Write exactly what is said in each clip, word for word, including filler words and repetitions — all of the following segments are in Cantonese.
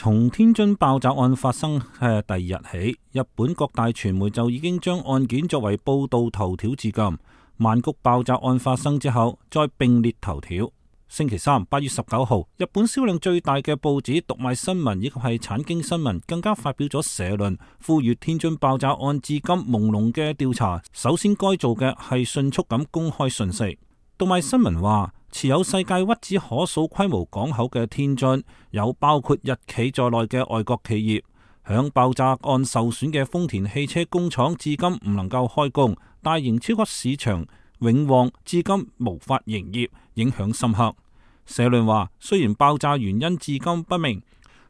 從天津爆炸案發生嘅第二日起，日本各大傳媒就已經將案件作為報道頭條至今。曼谷爆炸案發生之後，再並列頭條。星期三八月十九號，日本銷量最大嘅報紙讀賣新聞以及係產經新聞更加發表咗社論，呼籲天津爆炸案至今朦朧嘅調查，首先該做嘅係迅速咁公開信息。讀賣新聞話，持有世界屈指可數規模港口嘅天津，有包括日企在內嘅外國企業。響爆炸案受損嘅豐田汽車工廠至今唔能夠開工，大型超級市場永旺至今無法營業，影響深刻。社論話，雖然爆炸原因至今不明，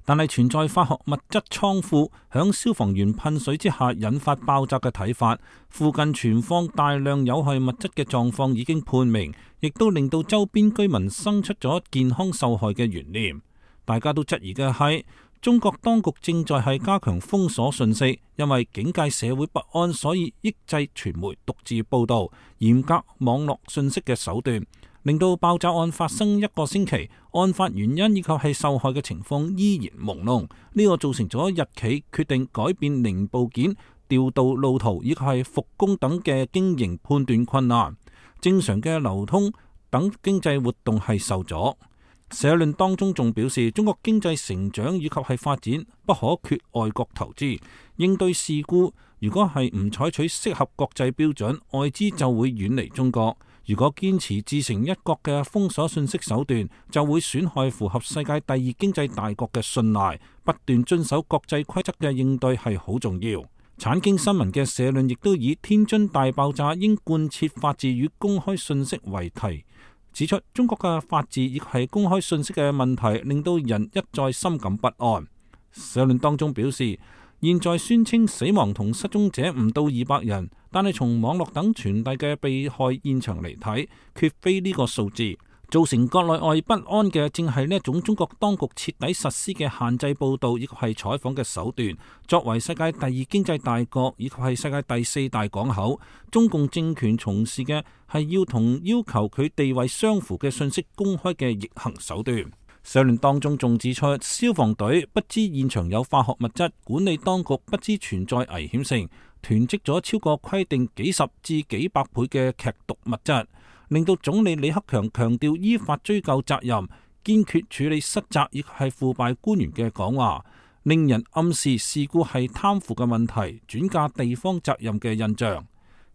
但係存在化學物質倉庫響消防員噴水之下引發爆炸嘅睇法，附近存放大量有害物質嘅狀況已經判明，亦都令到周邊居民生出咗健康受害嘅懸念。大家都質疑嘅係，中國當局正在係加強封鎖信息，因為警戒社會不安，所以抑制傳媒獨自報道，嚴格網絡信息嘅手段，令到爆炸案發生一個星期，案發原因以及係受害嘅情況依然朦朧。呢個造成咗日企決定改變零部件調度路途以及係復工等嘅經營判斷困難，正常嘅流通等經濟活動係受阻。社論當中仲表示，中國經濟成長以及係發展不可缺外國投資，應對事故如果係唔採取適合國際標準，外資就會遠離中國。如果堅持自成一國嘅封鎖信息手段，就會損害符合世界第二經濟大國嘅信賴。不斷遵守國際規則嘅應對係好重要。產經新聞嘅社論亦都以天津大爆炸應貫徹法治與公開信息為題，指出中國嘅法治亦係公開信息嘅問題，令到人一再深感不安。社論當中表示，現在宣稱死亡同失蹤者唔到二百人，但係從網絡等傳遞嘅被害現場嚟睇，絕非呢個數字。造成國內外不安嘅正係呢一種中國當局徹底實施嘅限制報道以及係採訪嘅手段。作為世界第二經濟大國以及係世界第四大港口，中共政權從事嘅係要同要求佢地位相符嘅信息公開嘅逆行手段。社論當中仲指出，消防隊不知現場有化學物質，管理當局不知存在危險性，囤積咗超過規定幾十至幾百倍嘅劇毒物質，令到總理李克強強調依法追究責任，堅決處理失責亦係腐敗官員嘅講話，令人暗示事故係貪腐嘅問題，轉嫁地方責任嘅印象。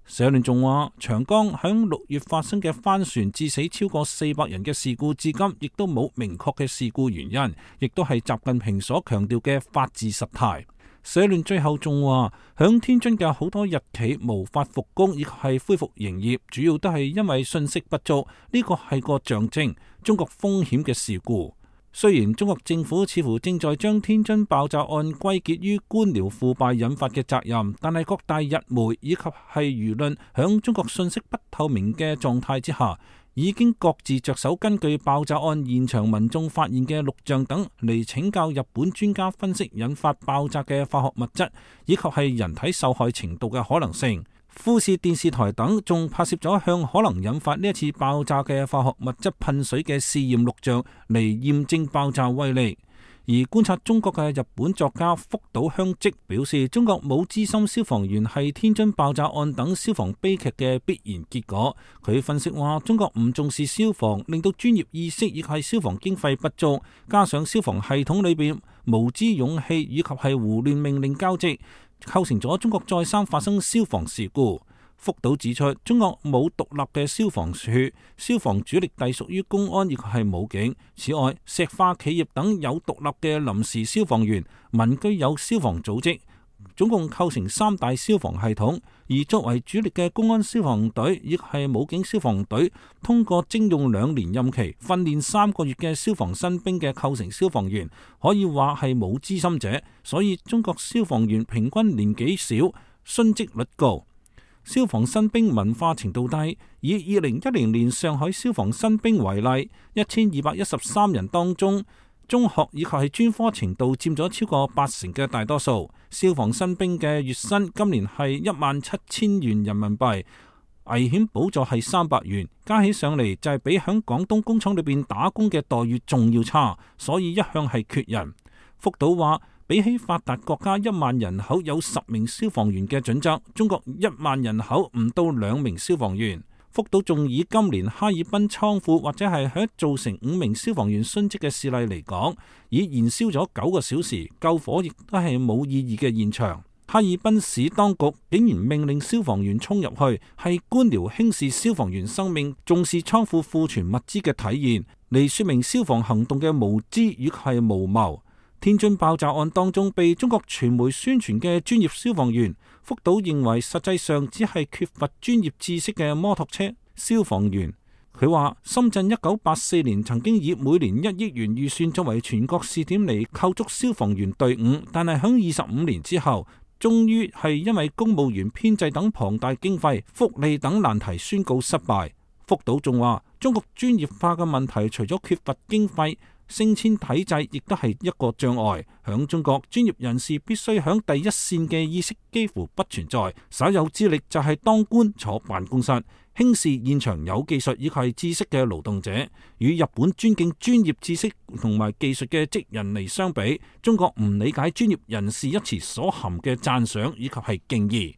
社論仲話，長江響六月發生嘅帆船致死超過四百人嘅事故，至今亦都冇明確嘅事故原因，亦都係習近平所強調嘅法治失態。社論最後仲話，響天津嘅好多日企無法復工，亦係恢復營業，主要都係因為信息不足，呢個係個象徵中國風險嘅事故。雖然中國政府似乎正在將天津爆炸案歸結於官僚腐敗引發嘅責任，但係各大日媒以及係輿論響中國信息不透明嘅狀態之下，已經各自着手根據爆炸案現場民眾發現嘅錄像等嚟請教日本專家分析引發爆炸嘅化學物質以及係人體受害程度嘅可能性。富士電視台等仲拍攝咗向可能引發呢一次爆炸嘅化學物質噴水嘅試驗錄像嚟驗證爆炸威力。而觀察中國嘅日本作家福島香織表示，中國冇資深消防員係天津爆炸案等消防悲劇嘅必然結果。佢分析話，中國唔重視消防，令到專業意識亦係消防經費不足，加上消防系統裏邊無知勇氣以及係胡亂命令交織，構成咗中國再三發生消防事故。福島指出，中國冇獨立嘅消防處，消防主力隸屬於公安亦係武警。此外，石化企業等有獨立嘅臨時消防員，民居有消防組織，總共構成三大消防系統。而作為主力嘅公安消防隊亦係武警消防隊，通過徵用兩年任期、訓練三個月嘅消防新兵嘅構成消防員，可以話係冇資深者，所以中國消防員平均年紀少，殉職率高。消防新兵文化程度低，以二零一零年上海消防新兵為例，一千二百一十三人當中，中學以及係專科程度佔咗超過八成嘅大多數。消防新兵嘅月薪今年係一萬七千元人民幣，危險補助係三百元，加起上嚟就係比響廣東工廠裏邊打工嘅待遇仲要差，所以一向係缺人。福島話，比起發達國家一萬人口有十名消防員嘅準則，中國一萬人口唔到兩名消防員。福島仲以今年哈爾濱倉庫或者係喺造成五名消防員殉職嘅事例嚟講，以燃燒咗九個小時，救火亦都係冇意義嘅現場。哈爾濱市當局竟然命令消防員衝入去，係官僚輕視消防員生命、重視倉庫庫存物資嘅體現，嚟說明消防行動嘅無知與係無謀。天津爆炸案當中被中國傳媒宣傳嘅專業消防員，福島認為實際上只係缺乏專業知識嘅摩托車消防員。佢話深圳一九八四年曾經以每年一億元預算作為全國試點嚟構築消防員隊伍，但係響二十五年之後，終於係因為公務員編制等龐大經費、福利等難題宣告失敗。福島仲話中國專業化嘅問題，除咗缺乏經費，升遷體制亦都係一個障礙。響中國，專業人士必須響第一線嘅意識幾乎不存在，稍有資歷就係當官坐辦公室，輕視現場有技術以及係知識嘅勞動者。與日本尊敬專業知識同埋技術嘅職人嚟相比，中國唔理解專業人士一詞所含嘅讚賞以及係敬意。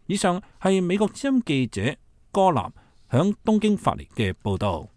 以上係美國之音記者柯南響東京發嚟嘅報道。